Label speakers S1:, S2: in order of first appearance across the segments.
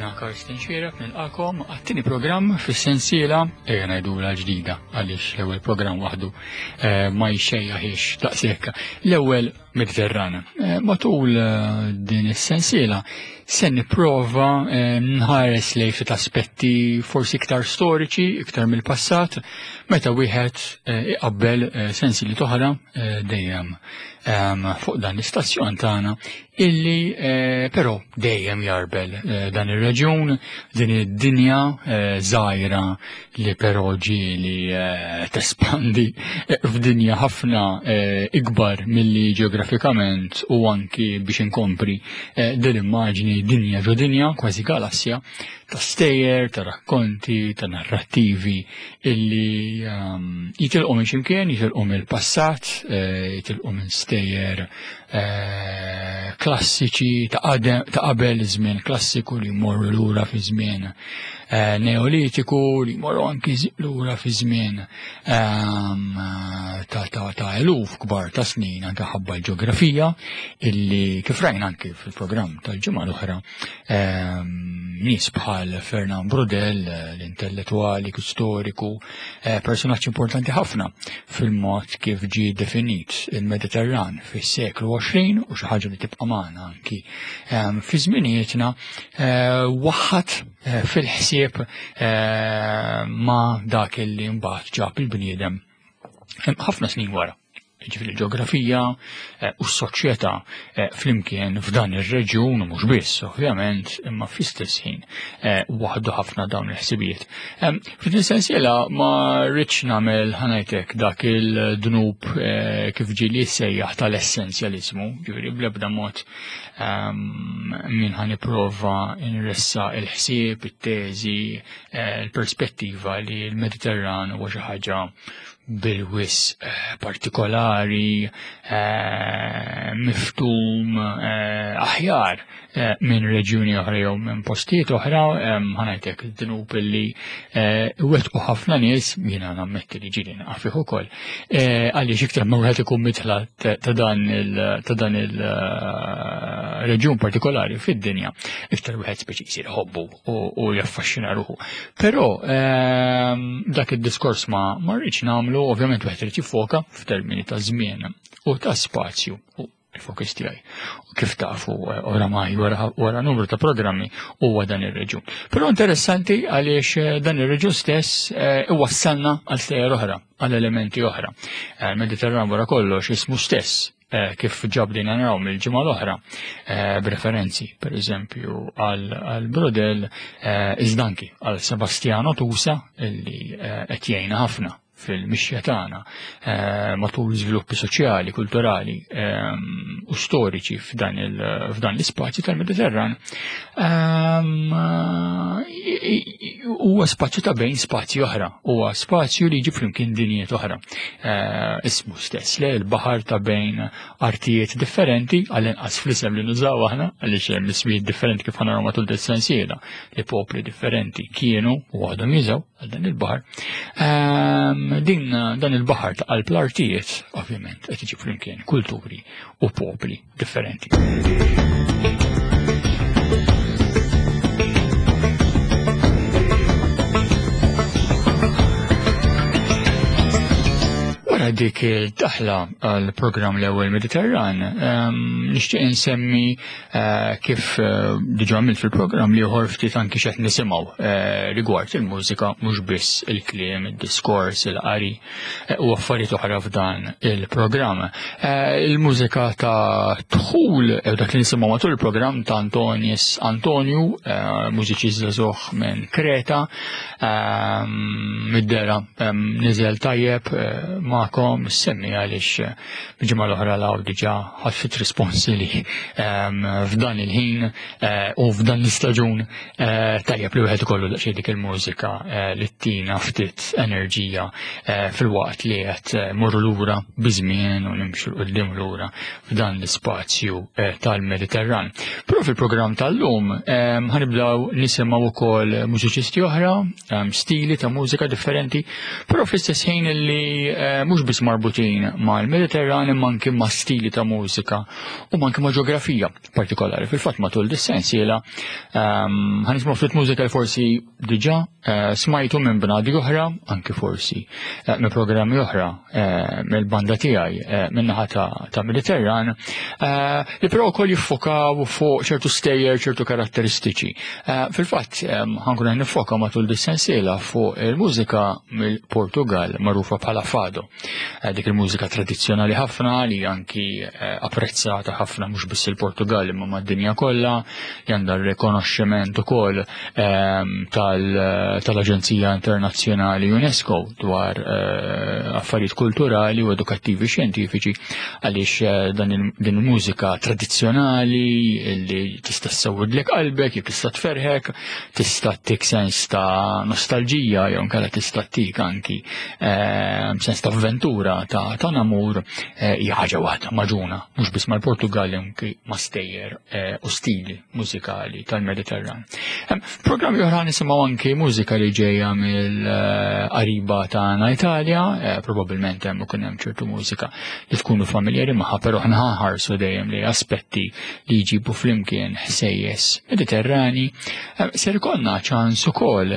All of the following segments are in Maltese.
S1: Jiena Karsten Xierek nilqakom għat-tieni programm fis-sensiela ejja ngħidula ġdida għaliex l-ewwel programm waħdu eh, ma jxejjaħiex daqshekk. L-ewwel Mediterrana. Eh, matul eh, din is-sensiela se nipprova nħares lejn ftit aspetti forsi iktar storiċi, iktar mill-passat, meta wieħed iqabbel sensieli oħra dejjem fuq dan l-istazzjon tagħna illi eh, però dejjem jarbel eh, dan ir-reġjun, din id-dinja eh, żgħira li però ġieli tespandi f'dinja ħafna ikbar milli ġeografikament u anki biex inkompri din immaġni dinja ġo dinja, kważi galassja, ta' stejjer, ta' rakkonti, ta' narrattivi illi ehm, jitilqu minn ximkien, jitilqu mill-passat, jitilqu minn stejjer Eh, klassiċi ta' qabel żmien klassiku li jmorru lura fi żmien eh, neolitiku li jmorru anki lura fi żmien ehm, ta' eluf kbar ta' snin anke ħabba l-ġeografija illi kif rajna anki fil-programm tal-ġimgħa l-oħra ehm, nies bħal Fernand Brodel, l-intellettwali, storiku, eh, personaġġ importanti ħafna fil-mod kif ġie definit il-Mediterran fis-seklu 20 u xi ħaġa li tibqa' magħna anki ehm, fi żminijietna eh, waħħad eh, fil-ħsieb ma' dak li mbagħad ġab il-bniedem ħafna snin wara ġifiri l-ġeografija eh, u s-soċjetà eh, flimkien f'dan ir-reġjun u mhux biss, ovvjament, imma fl-istess ħin eh, waħdu ħafna dawn il-ħsibijiet. F'din sensiela ma rridx nagħmel ħanajtek dak il-dnub kif ġieli sejjaħ tal-essenzjaliżmu, ġifieri bl-ebda mod min ħan nipprova nressa il-ħsieb, it-teżi, l-perspettiva li l-Mediterran huwa xi ħaġa bil-wis eh, partikolari, eh, miftum eh, aħjar minn reġjuni oħra jew minn postijiet oħra, ħanajtek dnub li wettqu ħafna nies, jiena nammetti li ġili naqafih ukoll, għaliex iktar ma wieħed ikun mitla ta' dan il-reġjun partikolari fid-dinja, iktar wieħed speċi jsir ħobbu u jaffaxxina ruħu. Però ehm, dak id-diskors ma ma rridx nagħmlu, ovvjament wieħed irid jiffoka f'termini ta' żmien u ta' spazju u il-fokus tiegħi. U kif tafu eh, oramai wara numru ta' programmi huwa dan ir-reġjun. Però interessanti għaliex eh, dan ir-reġjun stess eh, iwassalna għal sejjer oħra, għal elementi oħra. Mediterran wara kollox ismu stess Eh, kif ġabdina naraw mill-ġimgħa l-oħra eh, b'referenzi pereżempju għal Brodel eh, iżda anki għal Sebastiano Tusa illi qed jgħinna ħafna fil-mixja tagħna matul żviluppi soċjali, kulturali u storiċi f'dan l-ispazju tal-Mediterran huwa spazju ta' bejn spazji oħra, huwa spazju li jġib flimkien dinjiet oħra. Eh, ismu stess, le l-baħar ta' bejn artijiet differenti, għall-inqas fl-isem li nużaw aħna, għaliex hemm ismijiet differenti kif ħanaraw matul dis-sensiela li popli differenti kienu u għadhom jużaw għal dan il-baħar. Ehm, din dan il-baħar ta' qalb l-artijiet, ovvjament, qed iġib flimkien kulturi u popli differenti. Wara dik il-daħla għal programm l-ewwel Mediterran, ehm, nixtieq insemmi eh, kif eh, diġà għamilt fil-programm li ieħor ftit anki x'qed nisimgħu eh, rigward il-mużika mhux biss il-kliem, id-diskors, il-qari u affarijiet oħra f'dan il-programm. Eh, il-mużika ta' dħul eh, dak li nisimgħu matul il-programm ta' Antonis Antonju, eh, mużiċist żagħżugħ minn Kreta, mid-dera niżel tajjeb magħkom semmi għaliex ġimgħa l-oħra law diġà ħadd risponsi li f'dan il-ħin u f'dan l-istaġun Eh, tajjeb li wieħed ikollu daqsxejn dik il-mużika eh, li tina ftit enerġija eh, fil-waqt li qed morru lura biżmien u nimxu l qudiem lura f'dan l-ispazju tal-Mediterran. Però fil-programm tal-lum ħanibdew nisimgħu wkoll mużiċisti oħra, stili ta' mużika differenti, però fl-istess ħin li mhux mhux biss marbutin mal-Mediterran imma anki ma' stili ta' mużika u anki ma' ġeografija partikolari. Fil-fatt matul dis-sensiela ħanismu ftit mużika li forsi diġà smajtu minn bnadi oħra, anki forsi minn programmi oħra mill-banda tiegħi min-naħa ta' Mediterran, li però wkoll jiffokaw fuq ċertu stejjer, ċertu karatteristiċi. Fil-fatt ħankun qed nifoka matul dis-sensiela fuq il-mużika mill-Portugal magħrufa bħala fado. Dik il-mużika tradizzjonali ħafna li anki apprezzata ħafna mhux biss il-Portugal imma mad-dinja kollha, li għandha r-rikonoxximent ukoll tal-Aġenzija Internazzjonali UNESCO dwar affarijiet kulturali u edukattivi xjentifiċi għaliex din il-mużika tradizzjonali li tista' ssewwidlek qalbek, jew tista' tferħek, tista' ttik sens ta' nostalġija jew inkella tista' ttik anki sens ta' avventura ta' namur hija ħaġa waħda maġuna, mhux biss mal-Portugal anki ma' stejjer u stili mużikali tal-Mediterran. Programmi oħra nisimgħu anki mużika li ġejja mill-qariba tagħna Italja, probabbilment hemm ikun hemm ċertu mużika li tkunu familjari magħha, però aħna ħarsu dejjem li aspetti li jġibu flimkien ħsejjes Mediterrani. Ser ikollna ċans ukoll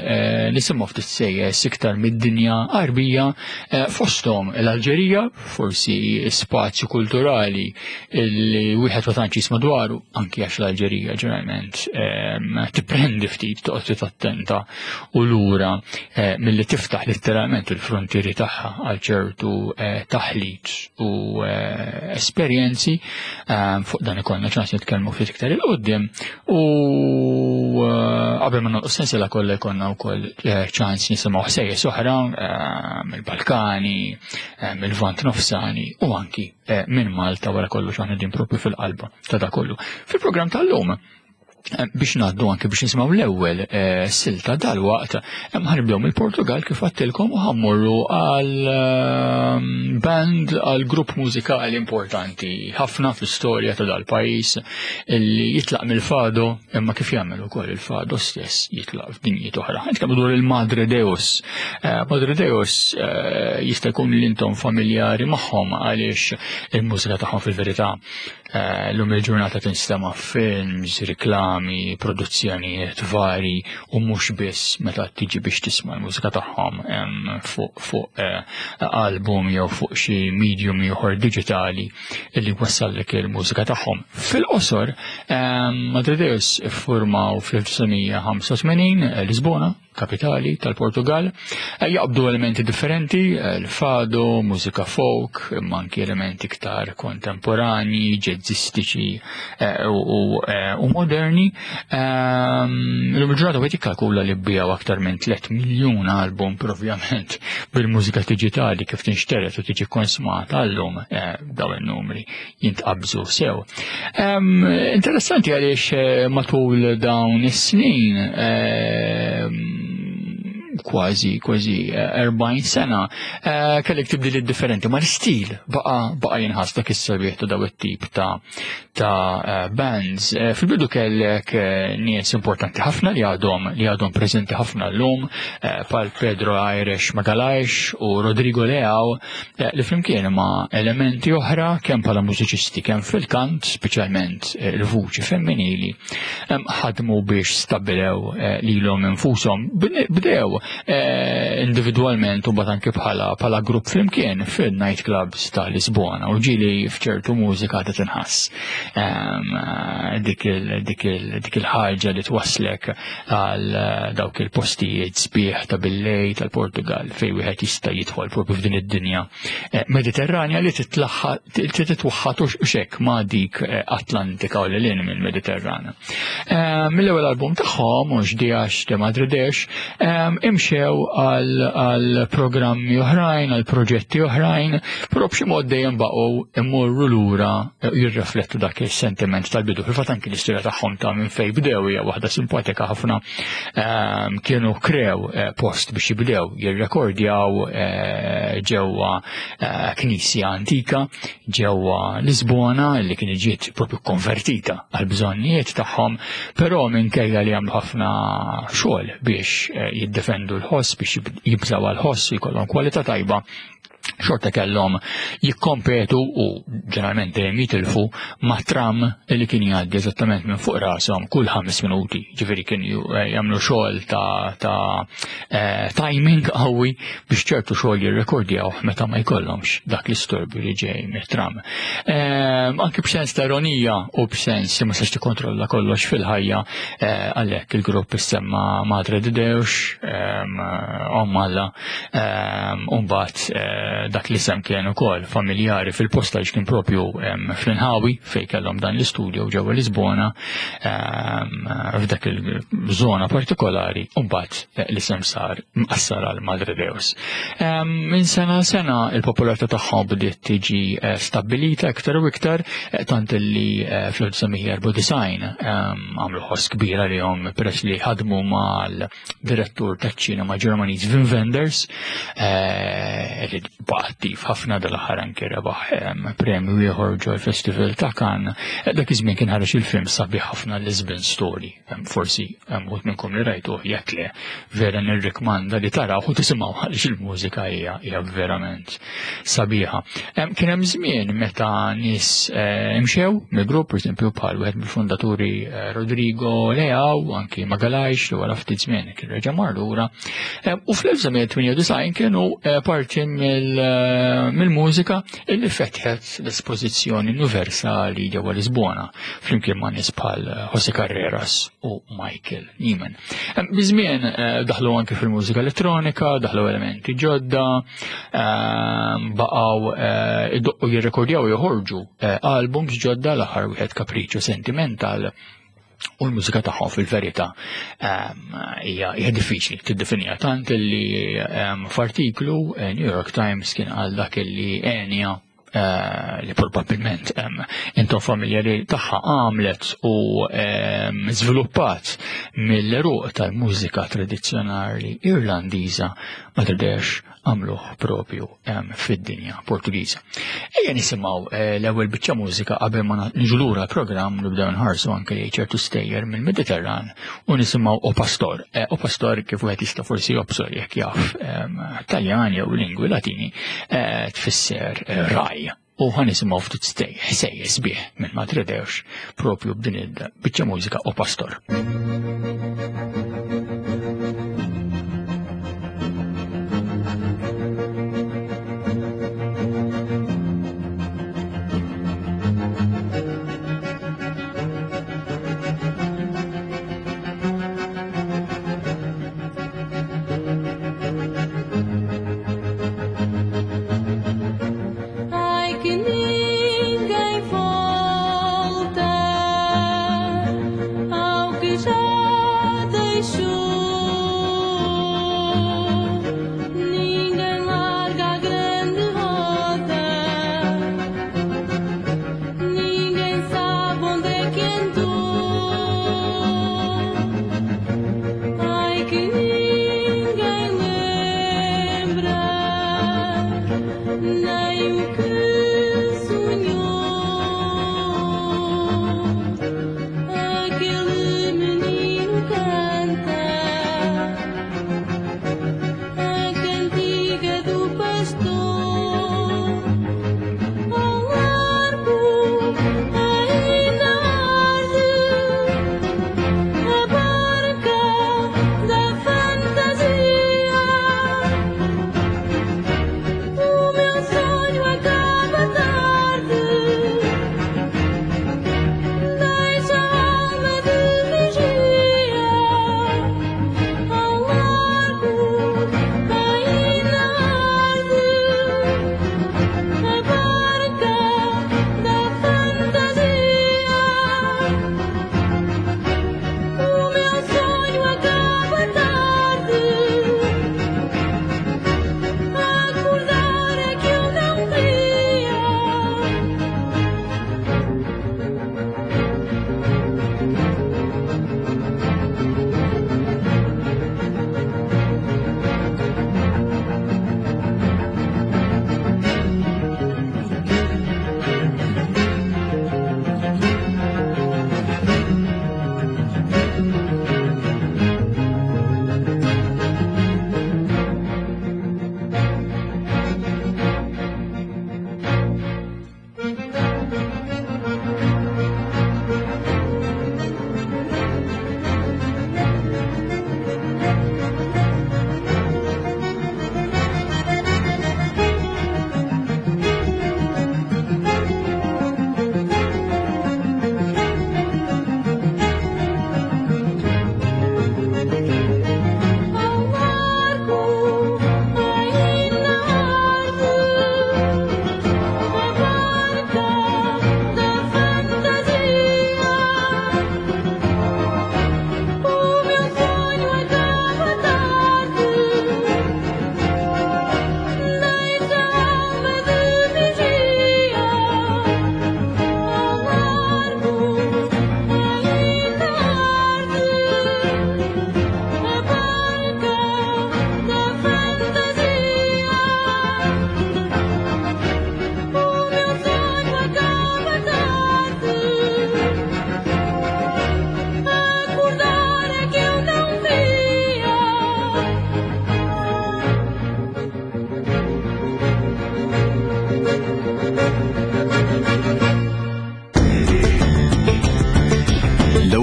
S1: nisimgħu ftit ħsejjes iktar mid-dinja Għarbija, fosthom l-Alġerija, forsi spazju kulturali li wieħed ma tantx jisma' dwaru, anki għax l-Alġerija ġeneralment tipprendi ftit toqgħod ftit attenta u lura milli tiftaħ letteralment il-frontieri tagħha għal ċertu taħlit u esperjenzi. Fuq dan ikollna ċans nitkellmu ftit iktar il qudiem u qabel ma nagħlqu sensiela kollha jkollna wkoll ċans nisimgħu ħsejjes oħra mill-Balkani, mill-Lvant Nofsani u anki minn Malta wara kollox aħna din propju fil-qalba ta' da kollu. Fil-programm tal-lum biex ngħaddu anke biex nisimgħu l-ewwel silta dal-waqt, ħanibdew mill-Portugal kif għattilkom u ħammorru għal band, għal grupp mużikali importanti ħafna fl-istorja ta' dal-pajjiż illi jitlaq mill-fado imma kif jagħmel ukoll il-fado stess jitlaq f'dinjiet oħra. Nitkellmu dwar il-Madre Deus. Madre Deus jista' jkun li intom familjari magħhom għaliex il-mużika tagħhom fil-verità L-lum il-ġurnata tinstema' films, riklami, produzzjonijiet vari u mhux biss meta tiġi biex tisma' l-mużika tagħhom fuq album jew fuq xi medium ieħor diġitali li wassallek il-mużika tagħhom. Fil-qosor, Madre Deus iffurmaw fl-1985 Lisbona, kapitali tal-Portugal, jaqbdu elementi differenti, l-fado, mużika folk, imma anki elementi iktar kontemporani, ġezzistiċi u moderni. L-lum il-ġurnata wieħed jikkalkula li bbiegħu aktar minn 3 miljun album, però ovvjament bil-mużika diġitali kif tinxteret u tiġi konsmata llum dawn in-numri jintqabżu sew. Interessanti għaliex matul dawn is-snin kważi kważi 40 sena kellek tibdiliet differenti, ma l-istil baqa jinħass dak is-sabiħ ta' daw it-tip ta' bands. Fil-bidu kellek nies importanti ħafna li għadhom li għadhom preżenti ħafna llum, bħal Pedro Aires Magalhães u Rodrigo Leão, li flimkien ma' elementi oħra kemm bħala mużiċisti kemm fil-kant, speċjalment il-vuċi femminili, ħadmu biex stabbilew lilhom infushom. Bdew individwalment u mbagħad anke bħala grupp flimkien fil-night clubs ta' Lisbona u ġieli f'ċertu mużika ta' tinħass dik il-ħaġa li twasslek għal dawk il-postijiet sbieħ ta' billej tal-Portugal fej wieħed jista' jidħol propju f'din id-dinja Mediterranja li titwaħħad u xek ma' dik Atlantika u lil mill-Mediterrana. Mill-ewwel album tagħhom mhux Diax de Madridex imxew għal programmi oħrajn, għal proġetti oħrajn, però b'xi mod dejjem baqgħu immorru lura jirreflettu dak is-sentiment tal-bidu. Fil-fatt anki l-istorja tagħhom ta' minn fejn bdew hija waħda simpatika ħafna. Kienu krew post biex jibdew jirrekordjaw ġewwa knisja antika ġewwa Lisbona li kien ġiet propju konvertita għal bżonnijiet tagħhom, però minkejja li għamlu ħafna xogħol biex jiddefendu l-ħoss, biex jibżaw għall-ħoss u jkollhom kwalità tajba. Xorta kellhom jikkompetu u ġeneralment dejjem jitilfu ma' tram li kien jgħaddi eżattament minn fuq rashom kull 5 minuti. Ġifieri kien jagħmlu xogħol ta' timing qawwi biex ċertu xogħol jirrekordjaw meta ma jkollhomx dak l-istorbju li ġej mit-tram. Anki b'sens ta' ironija u b'sens li ma sax tikkontrolla kollox fil-ħajja, għalhekk il-grupp issemma Madre de Deus, Omm Alla, u mbagħad dak l-isem kien ukoll familjari fil-posta għax kien propju fl-inħawi fejn kellhom dan l-istudio ġewwa Lisbona, f'dak il-żona partikolari, u mbagħad l-isem sar mqassar għal Madre Deus. Minn sena sena il-popolarità tagħhom bdiet tiġi stabbilita iktar u iktar, tant li fl-1994 għamlu ħoss kbira li hom peress li ħadmu mal-direttur taċ-ċinema Ġermaniż Wim Wenders, li baqa' attiv ħafna dal-aħħar anke rebaħ premju ieħor ġol Festival ta' Cannes. Dak iż-żmien kien ħareġ il-film sabiħ ħafna Lisbon Story. Forsi wħud minnkom li rajtuh, jekk le, vera nirrikmanda li taraw u tisimgħu għaliex il-mużika hija verament sabiħa. Kien hemm żmien meta nies imxew mill-grupp, pereżempju bħal wieħed mill-fondaturi Rodrigo Leao, anki Magalhães li wara ftit żmien kien reġa' mar lura. U fl-1998 kienu parti mill-mużika illi fetħet l-espożizzjoni universali ġewwa Lisbona flimkien ma' nies bħal José Carreras u Michael Nyman. Biż-żmien daħlu anke fil-mużika elettronika, daħlu elementi ġodda, baqgħu idoqqu jirrekordjaw joħorġu albums ġodda, l-aħħar wieħed Capriccio Sentimental, u l-mużika tagħhom fil-verità hija diffiċli tiddefinija, tant li f'artiklu New York Times kien qal dak li Enya, li probabbilment intom familjari tagħha, għamlet u żviluppat mill-eruq tal-mużika tradizzjonali Irlandiża, Madre Deus għamluh propju fid-dinja Portugiża. Ejja nisimgħu l-ewwel biċċa mużika qabel ma niġu lura l-programm nibdew nħarsu anke lejn ċertu stejjer mill-Mediterran u nisimgħu O Pastor. O Pastor, kif wieħed jista' forsi jobsor jekk jaf Taljan jew lingwi Latini, tfisser raj. U ħa nisimgħu ftit ħsejjes sbieħ minn Madre Deus propju b'din il-biċċa mużika O Pastor.
S2: Ai que ninguém volta ao que já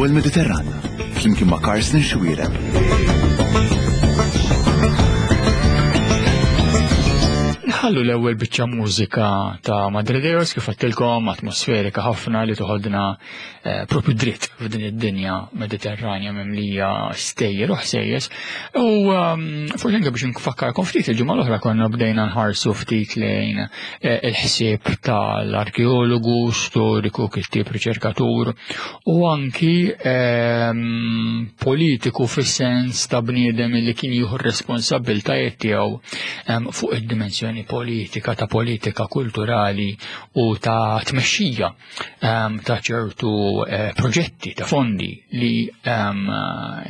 S3: L-ewwel Mediterran, flimkien ma' Carsten Xuereb.
S1: Nħallu l-ewwel biċċa mużika ta' Madre Deus kif għattilkom atmosferika ħafna li toħodna eh, propju dritt f'din id-dinja Mediterranja mimlija stejjer u ħsejjes. U ehm, forsi anke biex nfakkarkom ftit il-ġimgħa l-oħra konna bdejna nħarsu ftit lejn eh, il-ħsieb tal-arkeologu, storiku, kittieb, riċerkatur u anki ehm, politiku fis-sens ta' bniedem li kien jieħu r-responsabbiltajiet tiegħu ehm, fuq id-dimensjoni politika ta' politika kulturali u ta' tmexxija Ehm, ta' ċertu eh, proġetti ta' fondi li ehm,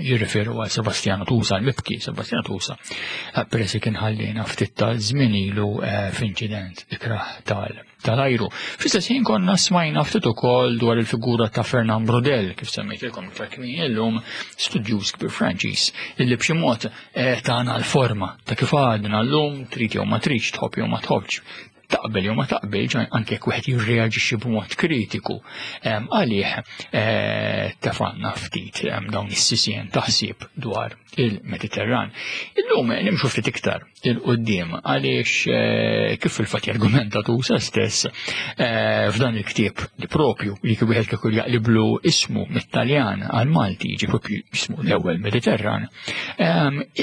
S1: jirriferu għal Sebastiano Tusa, l-mibki Sebastiano Tusa, eh, peress kien ħallina ftit ta' żmien ilu eh, f'inċident ikrah tal-ajru. Fl-istess ħin konna smajna ftit ukoll dwar il-figura ta' Fernand Brodel, kif semmejtilkom iktar kmieni illum, studjuż kbir Franċiż, illi b'xi mod tagħna l-forma ta' kif għadna llum trid jew ma tridx, tħobb jew ma tħobbx, taqbel jew ma taqbilx anke jekk wieħed jirreaġixxi b'mod kritiku għalih eh, tefanna ftit dawn is-sisien taħsib dwar il-Mediterran. Illum eh, nimxu ftit iktar il-qudiem għaliex eh, kif fil-fatt jargumenta Tusa stess f'dan il-ktieb li propju li kif wieħed kieku jaqliblu ismu mit-Taljan għal Malti jiġi propju ismu l-ewwel Mediterran,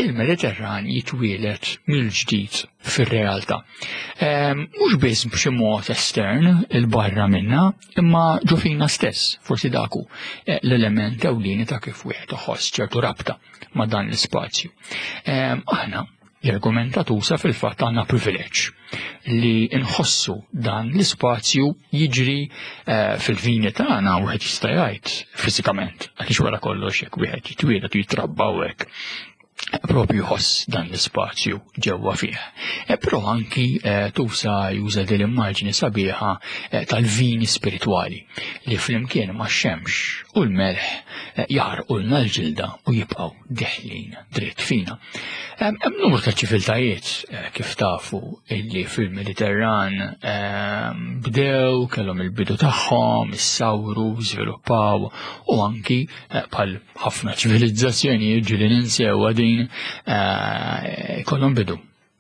S1: il-Mediterran jitwielet mill-ġdid fir-realtà. Ehm, mhux biss b'xi mod estern il-barra minna, imma ġo fina stess, forsi daku eh, l-element ewlieni ta' kif wieħed iħoss ċertu rabta ma' dan l-ispazju. Ehm, aħna l-argumenta tusa fil-fatt għandna privileġġ li nħossu dan l-ispazju jiġri eh, fil-vini tagħna wieħed jista' jgħid fiżikament għaliex wara kollox jekk wieħed jitwieled u jitrabba hekk propju jħoss dan l-ispazju ġewwa fih. E, però anki e, tusa juża din l-immaġni sabiħa e, tal-vini spiritwali li flimkien ma' xemx u l-melħ jaħarqulna l-ġilda u jibqgħu deħlin dritt fina. Hemm numru ta' ċiviltajiet kif tafu illi fil-Mediterran bdew kellhom il-bidu tagħhom, issawru, żviluppaw u anki bħal ħafna ċivilizzazzjonijiet ġili ninsew din eh, jkollhom bidu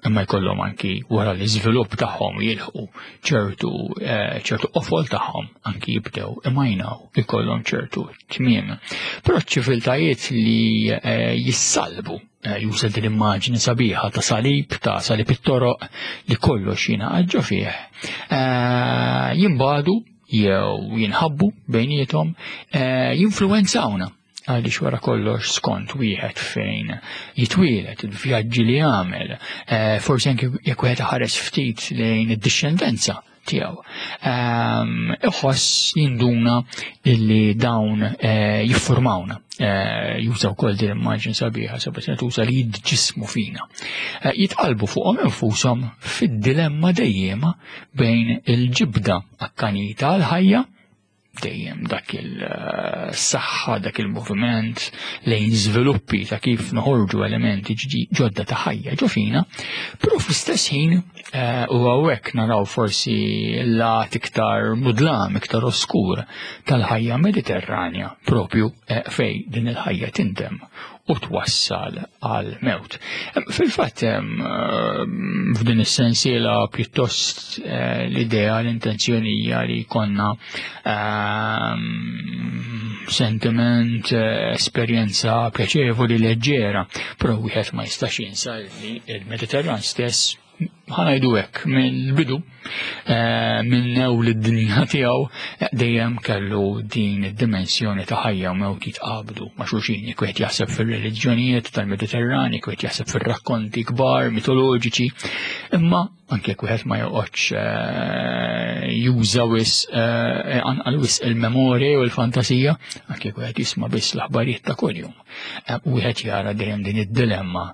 S1: imma jkollhom anki wara l-iżvilupp tagħhom jilħqu ċertu eh, ċertu qofol tagħhom anki jibdew imajnaw ikollhom ċertu tmiem. Però ċiviltajiet li eh, jissalbu juża din immaġni sabiħa ta' salib, ta' salib it-toroq li kollox jingħaqad ġo fih, jimbadu jew jinħabbu bejniethom eh, jinfluwenzawna għaliex wara kollox skont wieħed fejn jitwielet, il-vjaġġi li jagħmel, eh, forsi anke jekk wieħed ħares ftit lejn id-dixxendenza tiegħu. Ehm, iħoss jinduna illi dawn eh, jiffurmawna. Jużaw wkoll din immaġni sabiħa sabiex tuża li jidġismu fina. Jitqalbu fuqhom infushom fid-dilemma dejjema bejn il-ġibda akkanita għal-ħajja, dejjem dak il-saħħa, dak il-moviment lejn żviluppi ta' kif noħorġu elementi ġodda ta' ħajja ġo fina, però fl-istess ħin eh, u hawnhekk naraw forsi lat iktar mudlam, iktar oskur tal-ħajja Mediterranja propju eh, fej din il-ħajja tindem u twassal għal mewt. Fil-fatt f'din is-sensiela pjuttost eh, l-idea l-intenzjoni hija li jkollna sentiment, eh, esperjenza pjaċevoli leġġera, però wieħed ma jistax jinsa li l-Mediterran stess ħanajdu hekk mill-bidu eh, minn ewl id-dinja tiegħu eh, dejjem kellu din id-dimensjoni ta' ħajja u mewt jitqabdu ma' xulxin jekk wieħed jaħseb fir-reliġjonijiet tal-Mediterran, jekk wieħed jaħseb fir-rakkonti kbar mitoloġiċi, imma anke jekk wieħed ma joqgħodx eh, juża wis anqal wis il-memorja u l-fantasija, anke jekk wieħed jisma' biss l-aħbarijiet ta' kuljum. Wieħed jara dejjem din id-dilemma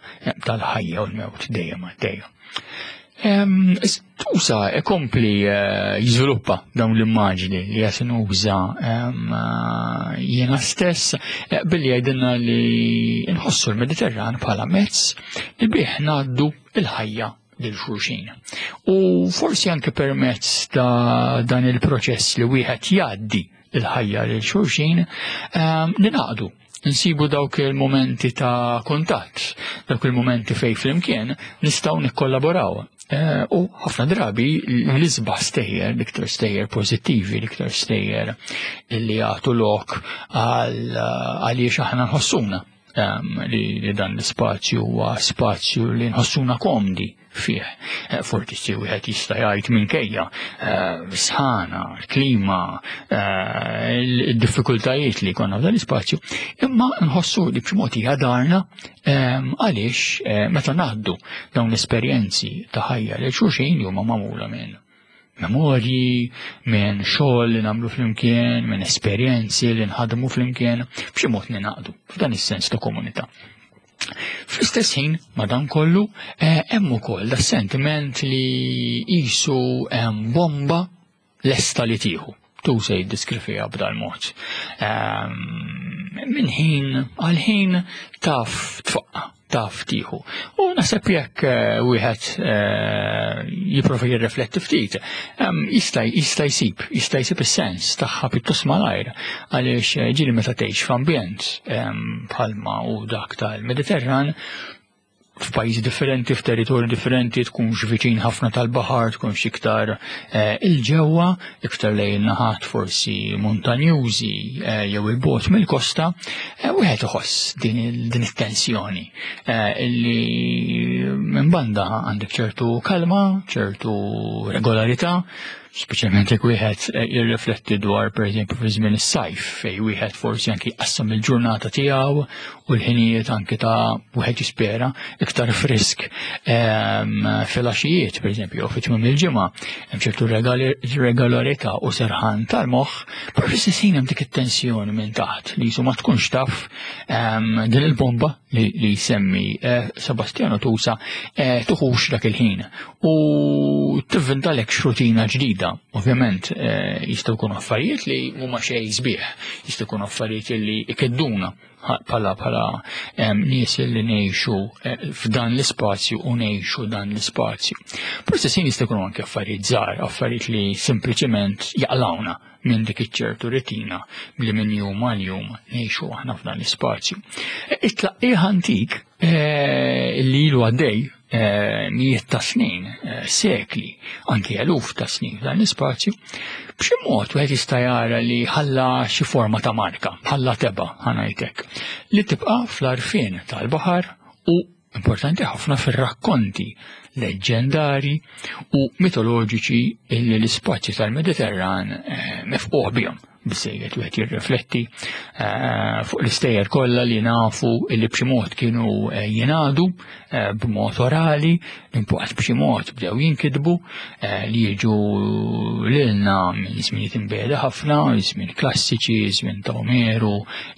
S1: tal-ħajja u l-mewt dejjem għaddejja. Tusa ikompli eh, jiżviluppa dawn l-immaġni li qed nuża eh, jiena stess eh, billi jgħidilna li nħossu l-Mediterran bħala mezz li bih ngħaddu il-ħajja lil xulxin. U forsi anke permezz ta' dan il-proċess li wieħed jgħaddi il-ħajja lil xulxin, ninaqdu nsibu dawk il-momenti ta' kuntatt, dawk il-momenti fej flimkien nistgħu nikkollaboraw. Eh, u ħafna drabi l-isbaħ stejjer, l-iktar stejjer pożittivi, l-iktar stejjer li jagħtu lok għaliex aħna nħossuna li dan l-ispazju huwa spazju li nħossuna komdi fih. Eh, forsi wieħed jista' jgħid minkejja eh, sħana, l-klima, eh, il-diffikultajiet li konna f'dan l-ispazju, imma nħossu li b'xi mod hija darna għaliex meta ngħaddu dawn l-esperjenzi ta' ħajja li xulxin li huma magħmula minn memorji, minn xogħol li nagħmlu flimkien, minn esperjenzi li nħadmu flimkien, b'xi mod ninaqdu f'dan is-sens ta' komunità. Fl-istess ħin, madankollu, eh, hemm ukoll da sentiment li qisu hemm bomba lesta li tieħu. Tu se jiddiskrifija b'dal-mod. Ehm, minn ħin għal ħin taf tfaqqa, taf tieħu. U naħseb jekk eh, wieħed eh, jipprova jirrifletti ftit, jista' jista' jsib, jista' jsib is-sens tagħha pjuttost malajr għaliex eh, ġieli meta tgħix f'ambjent bħalma u dak tal-Mediterran f'pajjiżi differenti, f'territorji differenti, tkunx viċin ħafna tal-baħar, tkunx iktar eh, il-ġewwa, iktar lejn naħat forsi montanjużi eh, jew il-bot mill-kosta, wieħed iħoss din it-tensjoni illi minn banda għandek ċertu kalma, ċertu regolarità, speċjalment jekk wieħed eh, jirrifletti dwar pereżempju fi żmien is-sajf fejn wieħed forsi anki jqassam il-ġurnata tiegħu u l-ħinijiet anki ta' wieħed jispera iktar frisk ehm, fil-għaxijiet pereżempju jew fi tmiem il-ġimgħa hemm ċertu regolarità u serħan tal-moħħ, però fl-istess ħin hemm dik it-tensjoni minn taħt li jisu ma tkunx taf ehm, din il-bomba li, li jsemmi eh, Sebastiano Tusa eh, tuħux dak il-ħin u tivvintalek xrutina ġdida. Ovvjament eh, jistgħu jkunu affarijiet li huma xejn sbieħ, jistgħu jkunu affarijiet li ikedduna bħala bħala nies li ngħixu f'dan l-ispazju u ngħixu dan l-ispazju. Proċessin jistgħu jkunu anke affarijiet żgħar, affarijiet li sempliċement jaqlawna minn dik iċ-ċertu retina li minn jum għal jum ngħixu aħna f'dan l-ispazju. It-tlaqqih antik eh, li ilu għaddej eh, mijiet ta' snin, eh, sekli, anki eluf ta' snin f'dan l-ispazju, b'xi mod wieħed jista' jara li ħalla xi forma ta' marka, ħalla teba' ħanajtek, li tibqa' fl-arfien tal-baħar u importanti ħafna fir-rakkonti leġġendari u mitoloġiċi illi l-ispazju tal-Mediterran eh, mifquħ bihom biżejjed wieħed jirrifletti eh, fuq l-istejjer kollha li nafu illi b'xi mod kienu eh, jingħadu b'mod orali, imbagħad b'xi mod bdew jinkitbu li jiġu lilna minn żminijiet imbegħda ħafna, żmien klassiċi, żmien ta' Omeru,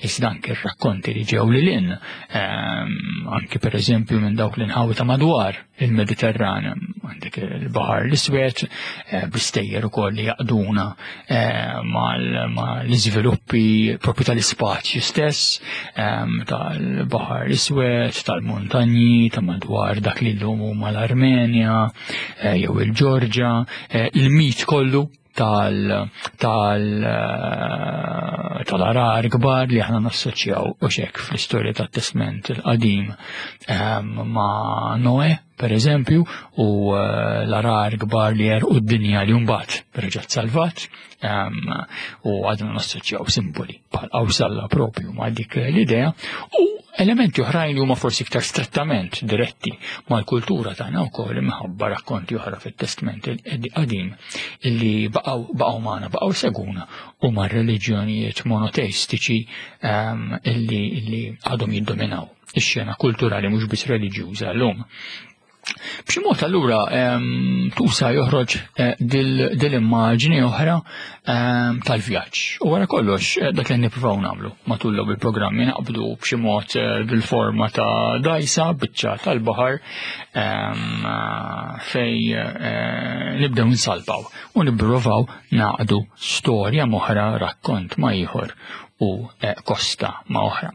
S1: iżda anke r-rakkonti li ġew lil hinn Ehm, anki per eżempju minn dawk l-inħawi ta' madwar il-Mediterran, għandek il-Bahar l-Iswed, eh, bistejjer ukoll li jaqduna eh, mal-iżviluppi propju tal-ispazju stess, ehm, tal-Bahar l-Iswed, tal-montanji, ta' madwar dak li llum huma l-Armenja, eh, jew il-Ġorġa, il-mit kollu tal tal eh, tal-arar kbar li aħna nassoċjaw u xek fl-istorja tat-Testment il-qadim ehm, ma' Noe, per eżempju, u eh, l-arar kbar li jerqu d-dinja li mbagħad reġgħet salvat ehm, u għadna nassoċjaw simboli bħal qawsalla propju ma' dik l-idea u elementi oħrajn li huma forsi iktar strettament diretti mal-kultura tagħna wkoll imħabba rakkonti oħra fit-Testment il-Qadim illi baqgħu baqgħu magħna, baqgħu seguna u ma' reliġjonijiet monoteistiċi ehm, illi, illi għadhom jiddominaw ix-xena kulturali mhux biss reliġjuża llum. B'xi mod allura ehm, tusa joħroġ eh, dil-immaġni oħra ehm, tal-vjaġġ. U wara kollox eh, dak li nippruvaw nagħmlu matul l il-programmi naqbdu b'xi mod eh, bil-forma ta' dajsa biċċa tal-baħar ehm, fej nibdew nsalpaw u nippruvaw naqdu storja moħra rakkont ma' ieħor. u eh, kosta ma' oħra.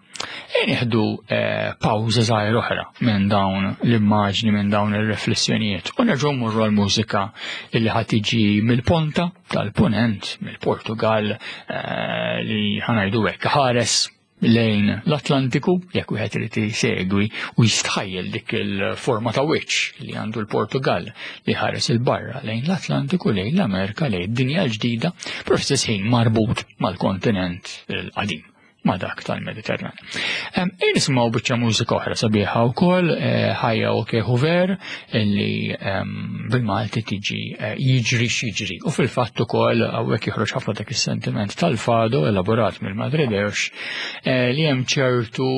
S1: E nieħdu eh, pawża żgħir oħra minn dawn l-immaġni, minn dawn ir-riflessjonijiet u nerġgħu mmorru għall-mużika illi ħad tiġi mill-ponta tal-punent, mill-Portugal eh, li ħanajdu hekk ħares lejn l-Atlantiku, jekk wieħed irid isegwi u jistħajjel dik il-forma ta' wiċċ li għandu l-Portugal li ħares il-barra lejn l-Atlantiku, lejn l-Amerika, lejn id-dinja l-ġdida, però fl-istess ħin marbut mal-kontinent il-qadim ma' dak tal-Mediterran. Ejn nisimgħu biċċa mużika oħra sabiħa wkoll eh, ħajja u Huver illi bil-Malti tiġi eh, jiġri x'jiġri. U fil-fatt ukoll hawnhekk joħroġ ħafna dak is-sentiment tal-fado elaborat mill-Madrideus eh, li hemm ċertu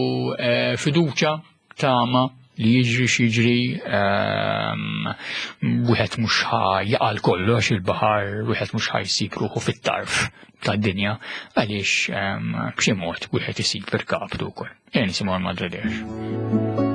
S1: fiduċa tama li jiġri x'jiġri ehm, wieħed mhux jaqal kollox il-baħar, wieħed mhux ħajsib ruħu fit-tarf tad-dinja għaliex ehm, b'xi mod wieħed isib irkabtu wkoll. Ejja nisimgħu l-Madre Deus.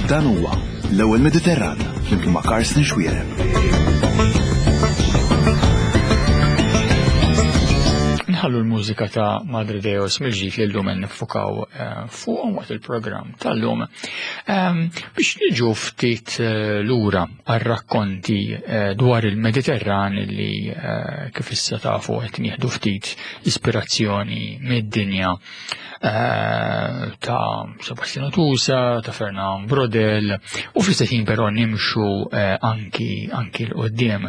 S3: Dan huwa l-ewwel Mediterran flimkien ma' Karsten Xuereb.
S1: Nħallu l-mużika ta' Madre Deus mill-ġdid li llum nifukaw eh, fuqhom waqt il-programm tal-lum. Ehm, biex niġu ftit eh, lura għar-rakkonti eh, dwar il-Mediterran li kif issa tafu qed nieħdu ftit ispirazzjoni mid-dinja Eh, ta' Sebastiano Tusa, ta' Fernand Brodel, u fl-istess ħin però nimxu eh, anki anki l-qoddim.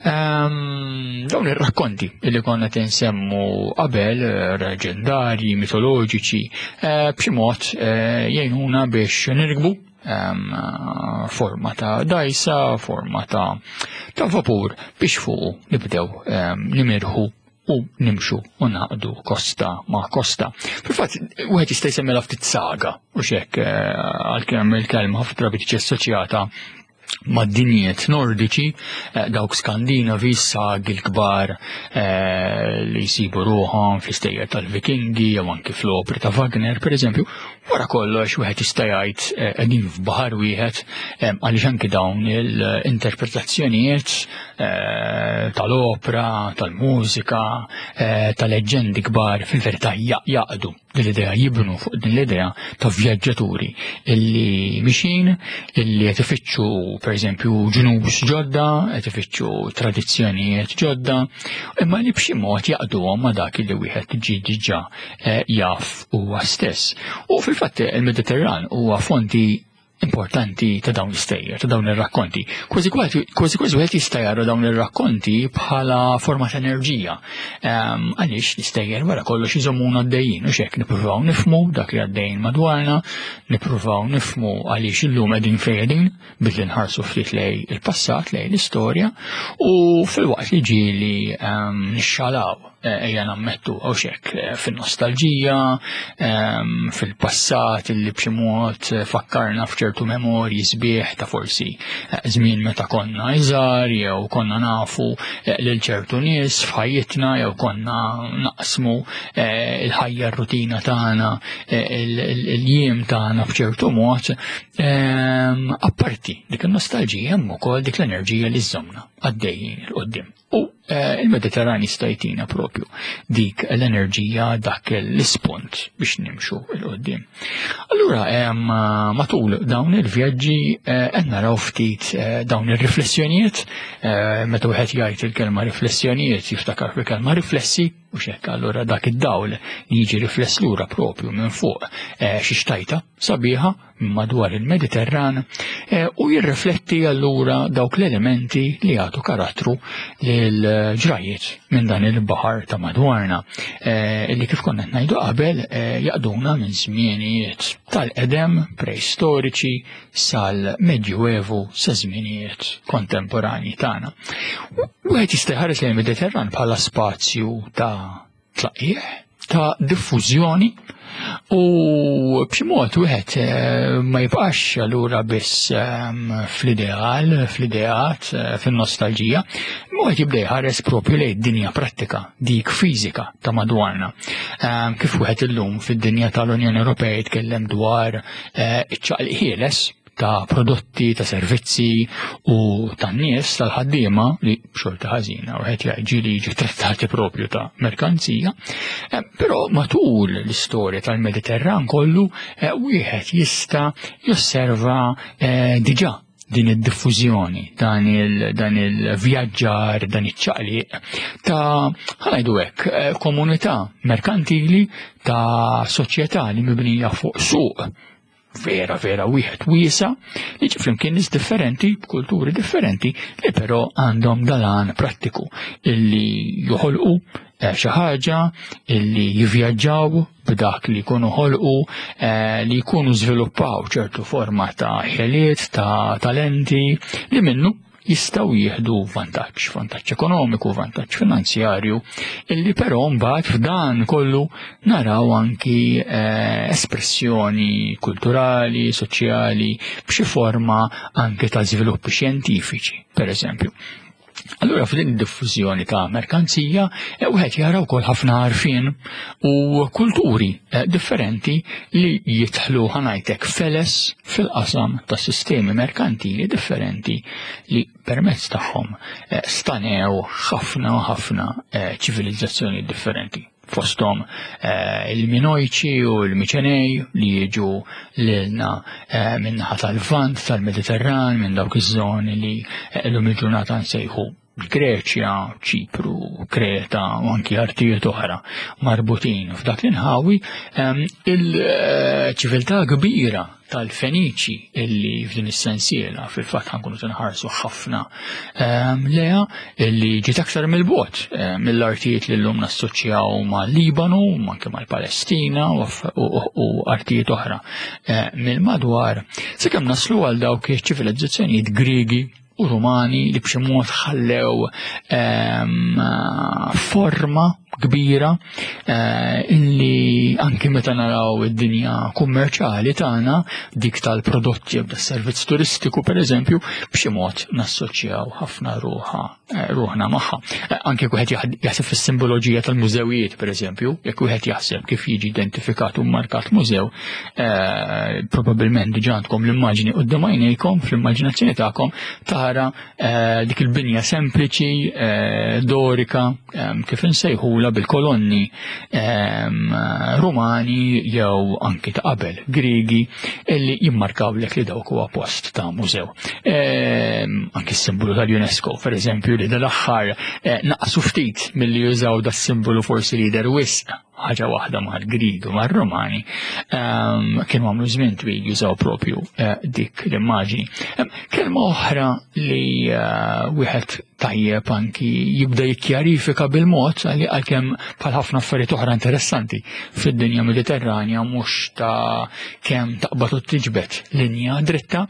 S1: Ehm, dawn ir-rakkonti li konna tinsemmu qabel, eh, leġendarji, mitoloġiċi, b'xi mod jgħinuna biex nirgbu ehm, forma ta' dajsa, forma ta' ta' vapur biex fuq nibdew ehm, nimirħu u nimxu u naqdu kosta ma' kosta. Fil-fatt, wieħed jista' jsemmilha ftit saga u xek eh, għalkemm il-kelma ħafna drabi tiġi assoċjata ma' dinjiet nordiċi, eh, dawk skandinavi, sagi l-kbar eh, li jsibu ruħhom fl-istejjer tal-Vikingi jew anki fl-opri ta' Wagner, per eżempju, Wara kollox wieħed jista' jgħid eh, qegħdin f'baħar wieħed eh, għaliex anki dawn l-interpretazzjonijiet eh, tal-opra, tal-mużika, tal-leġġendi kbar fil-verità jaqdu din l-idea, jibnu fuq din l-idea ta' vjaġġaturi illi mixin, illi qed ifittxu pereżempju ġnus ġodda, qed ifittxu tradizzjonijiet ġodda, imma li b'xi mod jaqduhom ma' dak li wieħed ġie diġà jaf huwa stess. U fil-fatt il-Mediterran huwa fonti importanti ta' dawn l-istejjer, ta' dawn ir-rakkonti. Kważi kważi kważi wieħed jista' jara dawn ir-rakkonti bħala forma ta' enerġija. Ehm, għaliex l-istejjer wara kollox iżommuna għaddejjin u xek nippruvaw nifmu dak li għaddejjin madwarna, nippruvaw nifmu għaliex illum qegħdin fejn qegħdin billi nħarsu ftit lej il-passat, lej l-istorja u fil-waqt li ġieli ehm, nixxalaw Eh, ejja nammettu għaw xek eh, fin-nostalġija, ehm, fil-passat illi b'xi mod eh, fakkarna f'ċertu memorji sbieħ ta' forsi żmien meta konna iżgħar jew konna nafu lil ċertu nies f'ħajjitna jew konna naqsmu il-ħajja r-rutina tagħna il-jiem tagħna b'ċertu mod. Ehm, apparti dik il-nostalġija hemm ukoll dik l-enerġija li żżomna għaddejjin il-qoddim. U eh, il-Mediterran jista' jtina propju dik l-enerġija dak l-ispunt biex nimxu il qoddim Allura matul dawn il-vjaġġi eh, qed naraw ftit eh, dawn ir-riflessjonijiet, meta wieħed jgħid il-kelma riflessjonijiet jiftakar fil-kelma riflessi u xekk allura dak id-dawl li jiġi rifless lura propju minn fuq xi xtajta sabiħa madwar il-Mediterran eh, u jirrifletti allura dawk l-elementi li jagħtu karattru lil ġrajiet minn dan il-baħar ta' madwarna eh, li kif konna ngħidu qabel eh, jaqduna minn żmienijiet tal-qedem preistoriċi sal-Medjuevu sa żminijiet kontemporanji tagħna. Wieħed jista' jħares lejn Mediterran bħala spazju ta' tlaqqiegħ ta' diffużjoni u b'xi mod wieħed eh, ma jibqax allura biss ehm, fl-ideal, fl-ideat, eh, fin-nostalġija, imma wieħed jibda jħares propju lejn dinja prattika, dik fiżika ta' madwarna. Ehm, kif wieħed illum fid-dinja tal-Unjoni Ewropea jitkellem dwar eh, iċ-ċaqliq ħieles ta' prodotti, ta' servizzi u ta' nies tal-ħaddiema li b'xorta ħażina u qed jgħid li jiġu trattati propju ta' merkanzija, eh, però matul l-istorja tal-Mediterran kollu eh, wieħed jista' josserva eh, diġà din id-diffużjoni, dan il-vjaġġar, dan iċ-ċaqliq ta' ħanajdu hekk, komunità merkantili ta' soċjetà li mibnija fuq suq vera vera wieħed wiesa li ġi flimkien nies differenti b'kulturi differenti li però għandhom dalan prattiku illi joħolqu eh, xi ħaġa illi jivvjaġġaw b'dak li jkunu ħolqu eh, li jkunu żviluppaw ċertu forma ta' ħeliet ta' talenti li minnu jistgħu jieħdu vantaġġ, vantaġġ ekonomiku, vantaġġ finanzjarju, illi però mbagħad f'dan kollu naraw anki eh, espressjoni kulturali, soċjali, b'xi forma anke ta' żviluppi xjentifiċi, per eżempju. Allura f'din id-diffużjoni ta' merkanzija eh, wieħed jara wkoll ħafna għarfien u kulturi eh, differenti li jidħlu ħanajtek feles fil-qasam ta' sistemi merkantili differenti li permezz tagħhom eh, stanew ħafna ħafna ċivilizzazzjoni differenti fosthom eh, il-Minojċi u l-Miċenej li jiġu lilna eh, minnaħa tal-Vant tal-Mediterran minn dawk iż-żoni li eh, llum il-ġurnata nsejħu Greċja, Ċipru, Kreta u anki artijiet oħra marbutin f'dak l-inħawi, il-ċiviltà kbira tal-Feniċi illi f'din is-sensiela fil-fatt ħankunu tinħarsu ħafna ehm, leha illi ġiet aktar mill-bot ehm, mill-artijiet li llum nassoċjaw mal-Libanu, anke mal-Palestina u artijiet oħra eh, mill-madwar. Sakemm naslu għal dawk iċ-ċivilizzazzjonijiet Griegi u Rumani li b'xi mod ħallew ehm, forma kbira eh, illi anki meta naraw id-dinja kummerċali tagħna dik tal-prodotti jew tas-servizz turistiku pereżempju b'xi mod nassoċjaw ħafna ruħa eh, ruħna magħha. Eh, anke wieħed jaħseb fis-simboloġija tal-mużewijiet pereżempju, jekk wieħed jaħseb kif jiġi identifikat u markat mużew, eh, probabbilment diġà għandkom l-immaġni quddiem għajnejkom fl-immaġinazzjoni tagħkom tara eh, dik il-binja sempliċi eh, dorika kif insejħula bil-kolonni Rumani jew anki ta' qabel Griegi illi jimmarkaw lek li dawk huwa post ta' mużew. Anki s-simbolu tal-UNESCO, per eżempju, li dal-aħħar naqsu ftit milli jużaw da simbolu forsi li jidher wisq ħaġa waħda mal-Grieg u mar-Romani ehm, kienu għamlu żmien twil jużaw propju eh, dik l-immaġni. Ehm, kelma oħra li eh, wieħed tajjeb anki jibda jikkjarifika bil-mod għalkemm bħal ħafna affarijiet oħra interessanti fid-dinja Mediterranja mhux ta' kemm taqbad u tiġbed linja dritta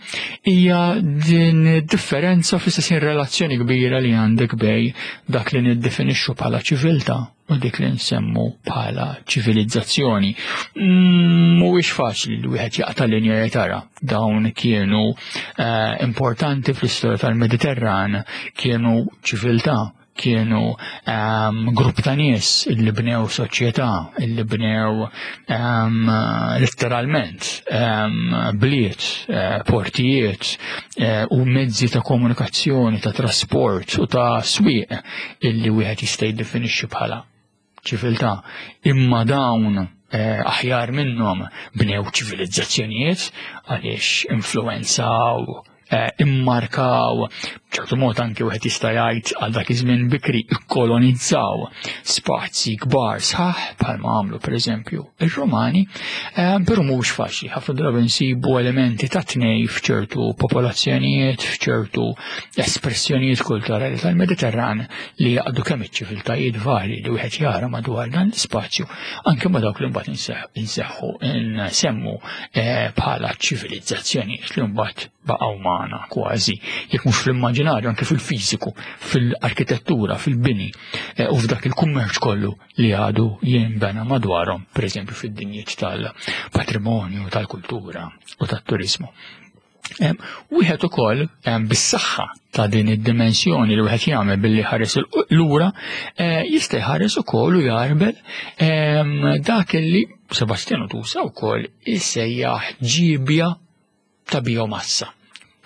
S1: hija din differenza fl-istess relazzjoni kbira li għandek bej dak li niddefinixxu bħala ċiviltà u dik li nsemmu bħala ċivilizzazzjoni. Mm, mhuwiex faċli li wieħed jaqta' linja jtara. Dawn kienu eh, importanti fl-istorja tal-Mediterran, kienu ċiviltà, kienu um, grupp ta' nies illi bnew soċjetà, illi bnew um, letteralment um, bliet, uh, portijiet uh, u mezzi ta' komunikazzjoni, ta' trasport u ta' swieq illi wieħed jista' jiddefinixxi bħala ċiviltà. Imma dawn eh, aħjar minnhom bnew ċivilizzazzjonijiet għaliex influenzaw eh, immarkaw, b'ċertu mod anke wieħed jista' jgħid għal dak iż-żmien bikri ikkolonizzaw spazji kbar sħaħ bħalma għamlu pereżempju ir-Rumani, eh, però mhux faċli, ħafna drabi nsibu elementi ta' tnej f'ċertu popolazzjonijiet, f'ċertu espressjonijiet kulturali tal-Mediterran li jaqdu kemm iċ-ċiviltajiet varji li wieħed jara madwar dan l-ispazju, anke ma dawk li mbagħad inseħħu nsemmu eh, bħala ċivilizzazzjonijiet li mbagħad baqgħu magħna kważi, jekk mhux fl-immaġinarju anke fil-fiżiku, fil-arkitettura, fil-bini eh, u f'dak il-kummerċ kollu li għadu jinbena madwarhom, pereżempju fid-dinjiet tal-patrimonju, tal-kultura u tat-turizmu. Wieħed ukoll bis-saħħa ta' din id-dimensjoni li wieħed jagħmel billi ħares lura eh, jista' jħares ukoll u jarbel dak li Sebastiano Tusa wkoll isejjaħ ġibja ta' biomassa.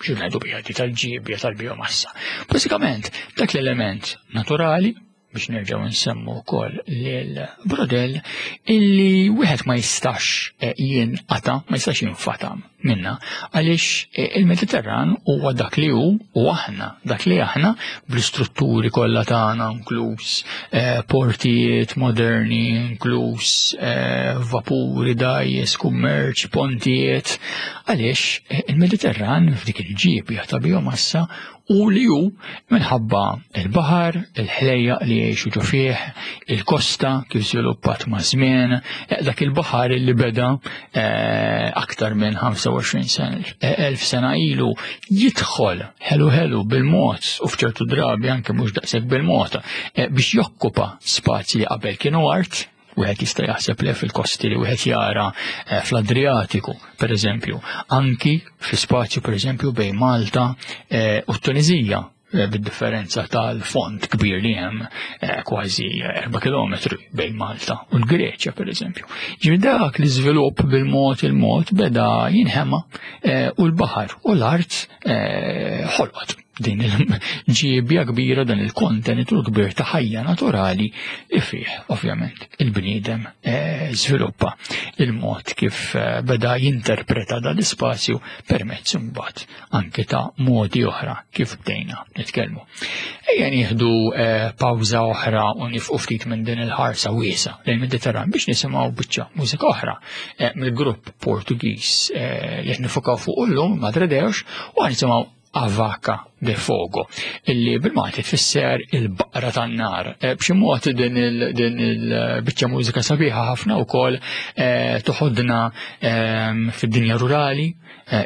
S1: Xi ngħidu biha tal-ġibja tal-biomassa. Bażikament dak l-element naturali biex nerġgħu nsemmu wkoll lil Brodell illi wieħed ma jistax eh, jinqata, ma jistax jinfatam minna għaliex eh, il-Mediterran huwa dak li hu u aħna dak li aħna bl-istrutturi kollha tagħna inkluż eh, portijiet moderni, inkluż vapuri, dajjes, kummerċ, pontijiet, għaliex il-Mediterran f'dik il-ġieb ta' biomassa u li hu minħabba il-baħar, il-ħlejjaq li jgħixu ġo fih, il-kosta kif żviluppat ma' żmien, eh, dak il-baħar li beda eh, aktar minn 25 sena, eh, elf sena ilu jidħol ħelu ħelu bil-mod u f'ċertu drabi anke mhux daqshekk bil-mod biex jokkupa spazji li qabel kienu art, Wieħed jista' jaħseb le fil-kosti li wieħed jara eh, fl-Adriatiku, per eżempju, anki fl-ispazju per eżempju bejn Malta eh, u t-Tunizija. Bid-differenza tal-fond kbir li hemm kważi 4 km bejn Malta u l-Greċja pereżempju. Ġifieri dak l-iżvilupp bil-mod il-mod beda jinħema u l-baħar u l-art ħolqot din il-ġiebja kbira dan il-kontenitur kbir ta' ħajja naturali li fih ovvjament il-bniedem żviluppa il-mod kif beda jinterpreta dan l-ispazju permezz imbagħad anke ta' modi oħra kif bdejna nitkellmu. Ejja nieħdu eh, pawża oħra u nifqu ftit minn din il-ħarsa wiesa lejn Mediterran biex nisimgħu biċċa mużika oħra eh, mill-grupp Portugiż eh, li qed nifukaw fuq illum Madre Deus u nisimgħu Avaca de Fogo, illi bil-Malti tfisser il-baqra tan-nar. B'xi mod din il-biċċa mużika sabiħa ħafna wkoll toħodna ehm, fid-dinja rurali,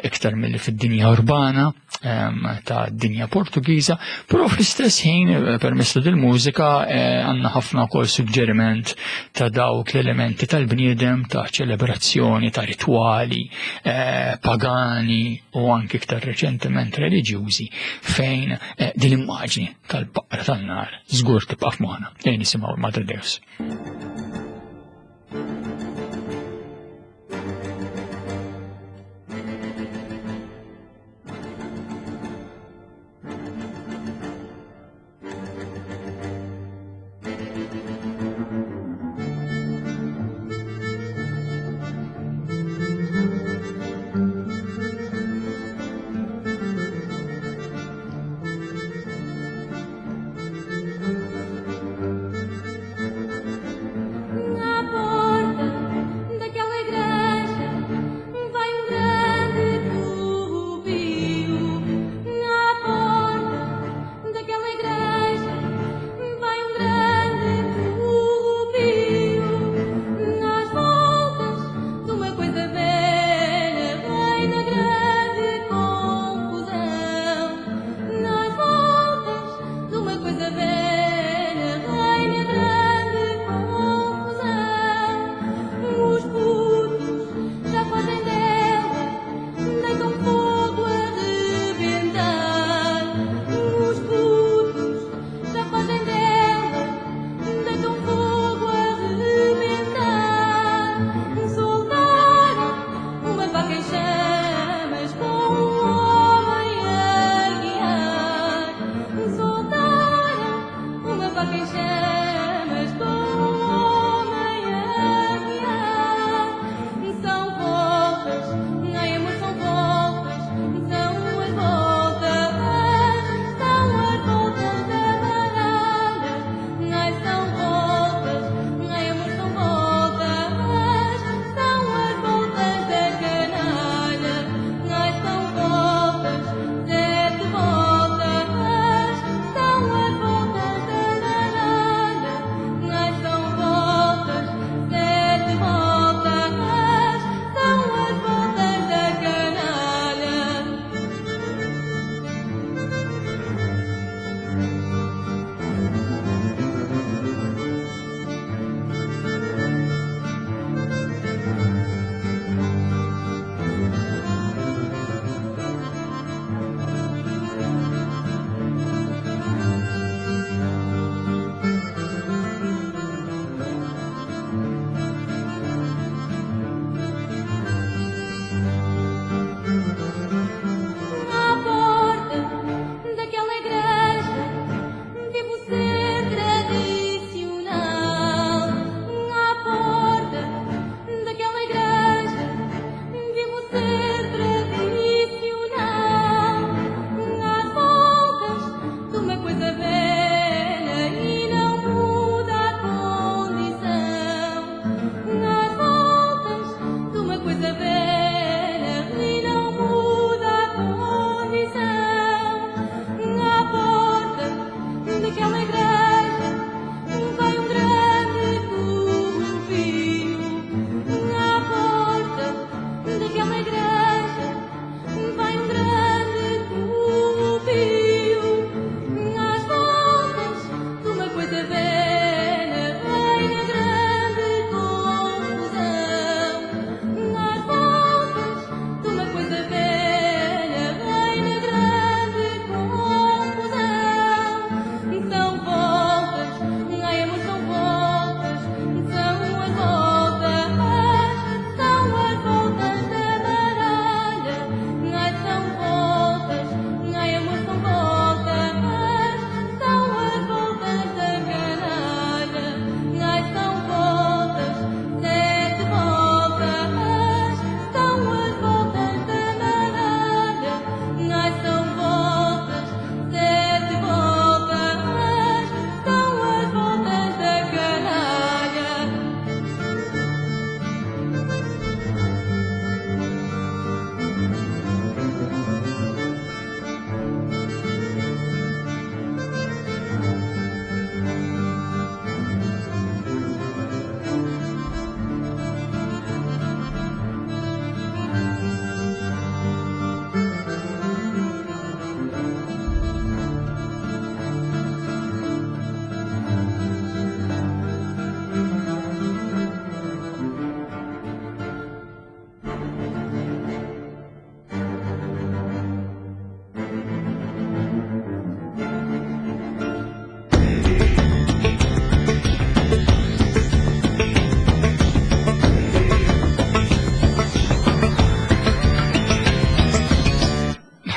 S1: iktar milli fid-dinja urbana ehm, ta' dinja Portugiża, però fl-istess ħin permezz ta' dil-mużika għandna ħafna wkoll suġġeriment ta' dawk l-elementi tal-bniedem ta' ċelebrazzjoni, ta' ritwali pagani u anki iktar reċentement reliġjużi fejn din l-immaġni tal-baqra tan-nar żgur tibqa' f'moħħna. Ejja nisimgħu Madre Deus.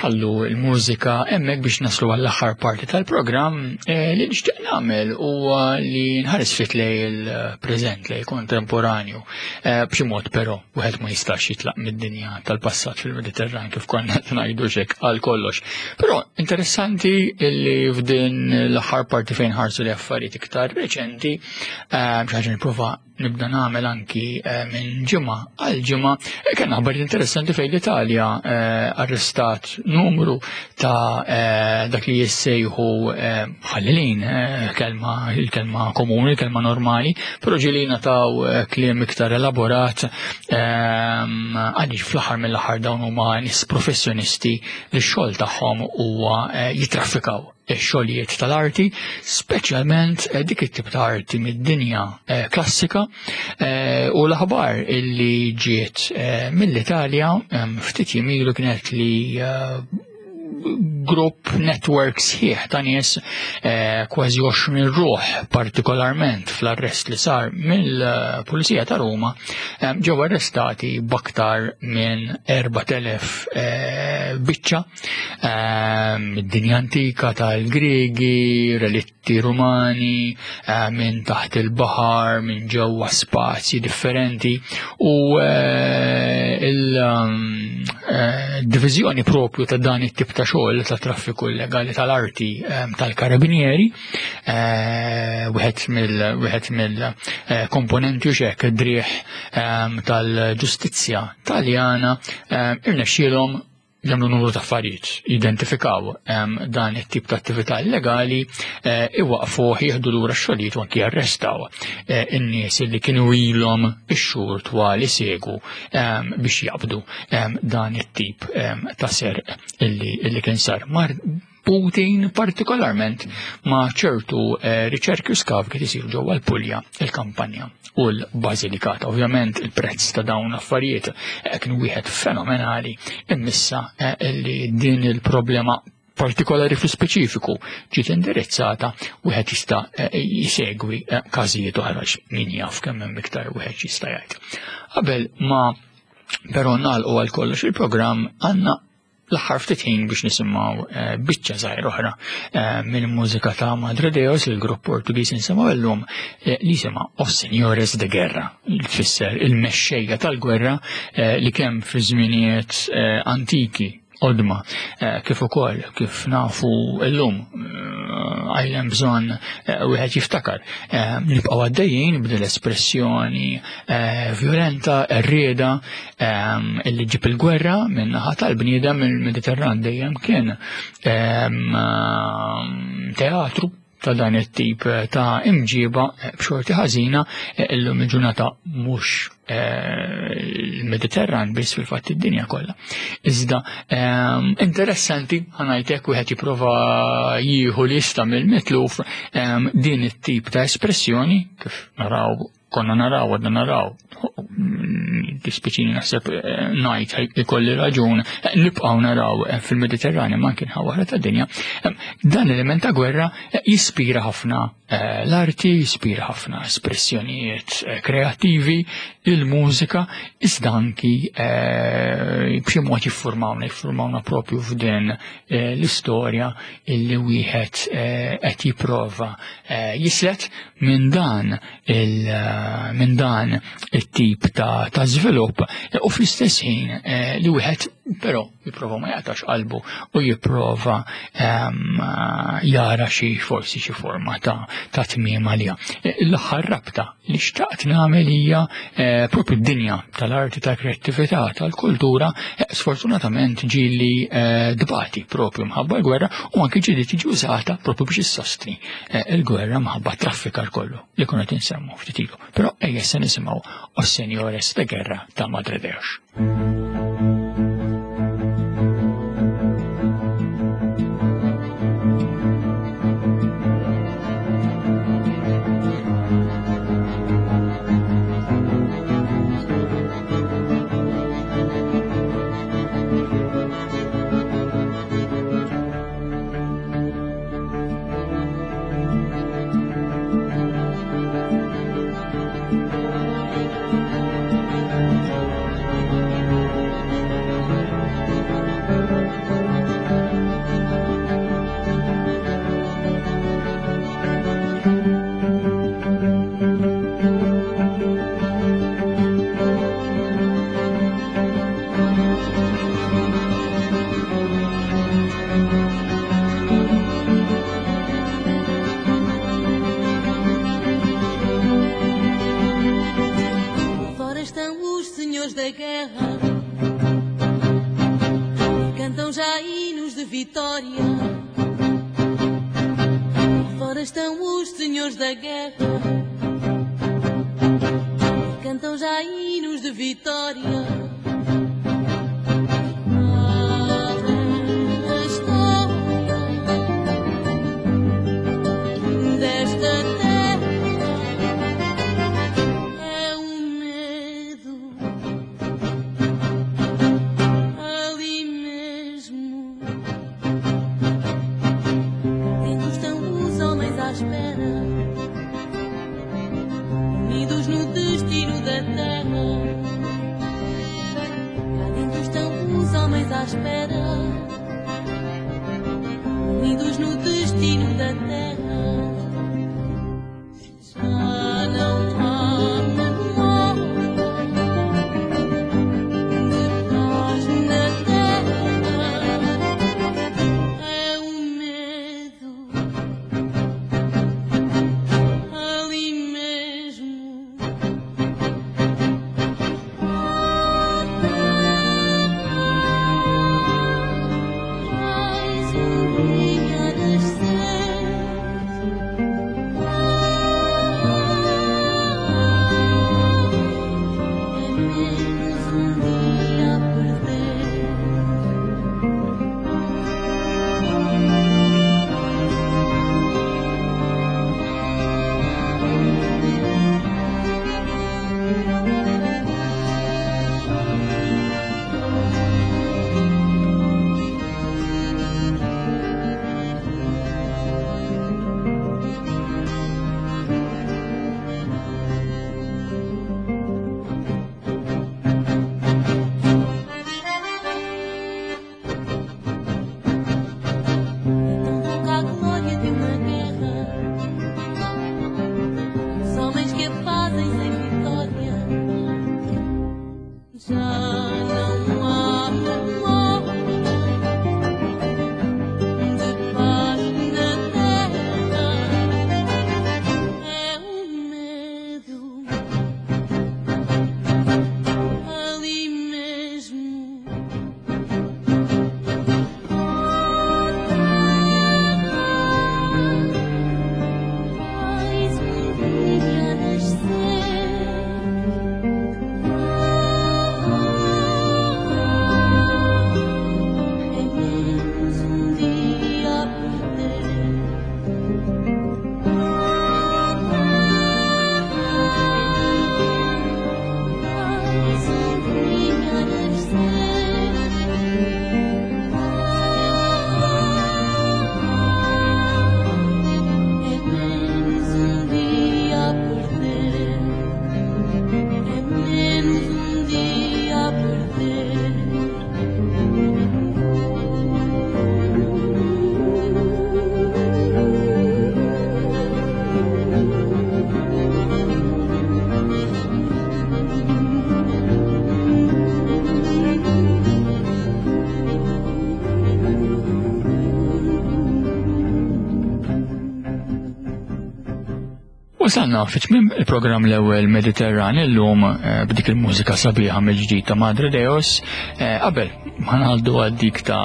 S1: Nħallu l-mużika hemmhekk biex naslu għall-aħħar parti tal-programm eh, li nixtieq nagħmel huwa li nħares fit lej il-preżent lej kontemporanju eh, b'xi mod però wieħed ma jistax jitlaq mid-dinja tal-passat fil-Mediterran kif konna qed ngħidu xek għal kollox. Però interessanti li f'din l-aħħar parti fejn ħarsu li affarijiet iktar reċenti eh, xi ħaġa nipprova nibda nagħmel anki eh, minn ġimgħa għal ġimgħa eh, kien aħbar interessanti fejn l-Italja eh, arrestat numru ta' dak li jissejħu ħallilin kelma il-kelma komuni, kelma normali, però ġieli nataw kliem iktar elaborat għaliex fl-aħħar mill-aħħar dawn huma nies professjonisti li x-xogħol tagħhom huwa jitraffikaw ix-xogħlijiet tal-arti, speċjalment eh, dik it-tip ta' arti mid-dinja eh, klassika eh, u l-aħbar illi ġiet mill-Italja ftit jimilu kienet li grupp network sħiħ ta' nies kważi 20 ruħ partikolarment fl-arrest li sar mill-Pulizija ta' Ruma ġew arrestati b'aktar minn 4000 biċċa Id-dinja antika tal-Griegi, relitti Rumani, eh, minn taħt il-baħar, minn ġewwa spazji differenti u eh, il-diviżjoni eh, propju ta' dan it-tip ta' xogħol ta' traffiku illegali tal-arti tal-karabinieri, wieħed mill-komponenti u xek driħ tal-ġustizzja taljana irnexxielhom jagħmlu numru ta' affarijiet, jidentifikaw ehm, dan it-tip ta' attività illegali, eh, iwaqfu jieħdu lura x-xogħlijiet u anki jarrestaw eh, in-nies li kienu ilhom ix-xhur twal isegu ehm, biex jaqbdu ehm, dan it-tip ta' serq illi kien sar. Putin partikolarment ma' ċertu eh, riċerki u skav kif isiru ġewwa l-Pulja, il-Kampanja u l-Basilikata. Ovvjament il-prezz ta' dawn l-affarijiet eh, kien wieħed fenomenali immissa eh, li din il-problema partikolari fi speċifiku ġiet indirizzata wieħed jista' jisegwi każijiet oħra min jaf kemm hemm iktar wieħed jista' jgħid. Qabel ma però nagħlqu għal kollox il-programm għandna l-aħħar ftit ħin biex nisimgħu eh, biċċa żgħir oħra eh, mill-mużika ta' Madre Deus, il-grupp Portugiż insimgħu llum eh, li jisimha Os Senhores de Guerra, li tfisser il-mexxejja tal-gwerra li kemm fi żminijiet antiki qodma kif ukoll kif nafu llum għajlem bżonn wieħed jiftakar. Nibqgħu għaddejjin b'din l-espressjoni violenta, rrieda Ehm, illi ġib il-gwerra minn naħa tal-bniedem il-Mediterran dejjem kien ehm, teatru ta' dan it-tip ta' imġiba eh, b'xorti ħażina eh, illum il-ġurnata mhux eh, il-Mediterran biss fil-fatt id-dinja kollha. Iżda ehm, interessanti ħanajtek wieħed jipprova jieħu lista mill-mitluf din it-tip ta' espressjoni kif naraw konna naraw, għadna naraw, dispiċini naħseb eh, najt ikolli raġun, eh, nibqaw naraw eh, fil-Mediterrani ma kien ħawara ta' dinja. Dan element ta' gwerra jispira ħafna l-arti, jispira ħafna espressjonijiet kreativi, il-mużika, iżda anki b'xi mod jiffurmawna, jiffurmawna propju f'din l-istorja illi wieħed qed jipprova jislet minn dan Eh, minn dan it-tip ta', ta żvilupp u fl-istess ħin eh, li wieħed però jipprova ma jaqtax qalbu u jipprova ehm, jara xi forsi xi forma ta' ta' tmiem għaliha. Eh, l-aħħar rabta li xtaqt nagħmel hija propju d-dinja tal-arti tal-kreattività tal-kultura sfortunatament ġieli dbati propju mħabba l-gwerra u anke ġieli tiġi użata propju biex issostni il-gwerra mħabba traffikar kollu li kuna tinsemmu ftit ilu. Però ejja se nisimgħu Os Senjores de Guerra ta' Madre Deus.
S2: de vitória. Fora estão os senhores da guerra e cantam já hinos de vitória. A história desta terra é um medo ali mesmo. Dentro estão os homens à espera, unidos no destino da terra. Cá dentro estão os homens à espera, unidos no destino da terra. Já não há memória de paz na terra. É um medo ali mesmo. Mais um dia a nascer. É menos um dia a perder. É tão pouca a glória de uma guerra. Os homens que a fazem sem vitória. Já não há memória de paz na terra. É um medo ali mesmo. Mais um dia a nascer. É menos um dia a perder. Mais um dia a nascer. É menos um dia a perder. É menos um dia a perder.
S1: Wasalna fi tmiem il-programm l-ewwel Mediterran illum eh, b'dik il-mużika sabiħa mill-ġdid ta' Madre Deos eh, qabel ma ngħaddu għal dik ta'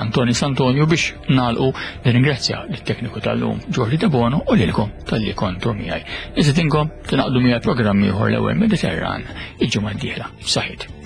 S1: Antoni Santonio biex nagħlqu nirringrazzja lit-tekniku tal-lum Ġordi Debono u lilkom talli kontu miegħi. Iżidinkom tingħaqdu miegħi programm ieħor l-ewwel Mediterran il-ġimgħa d-dieħla. Saħit.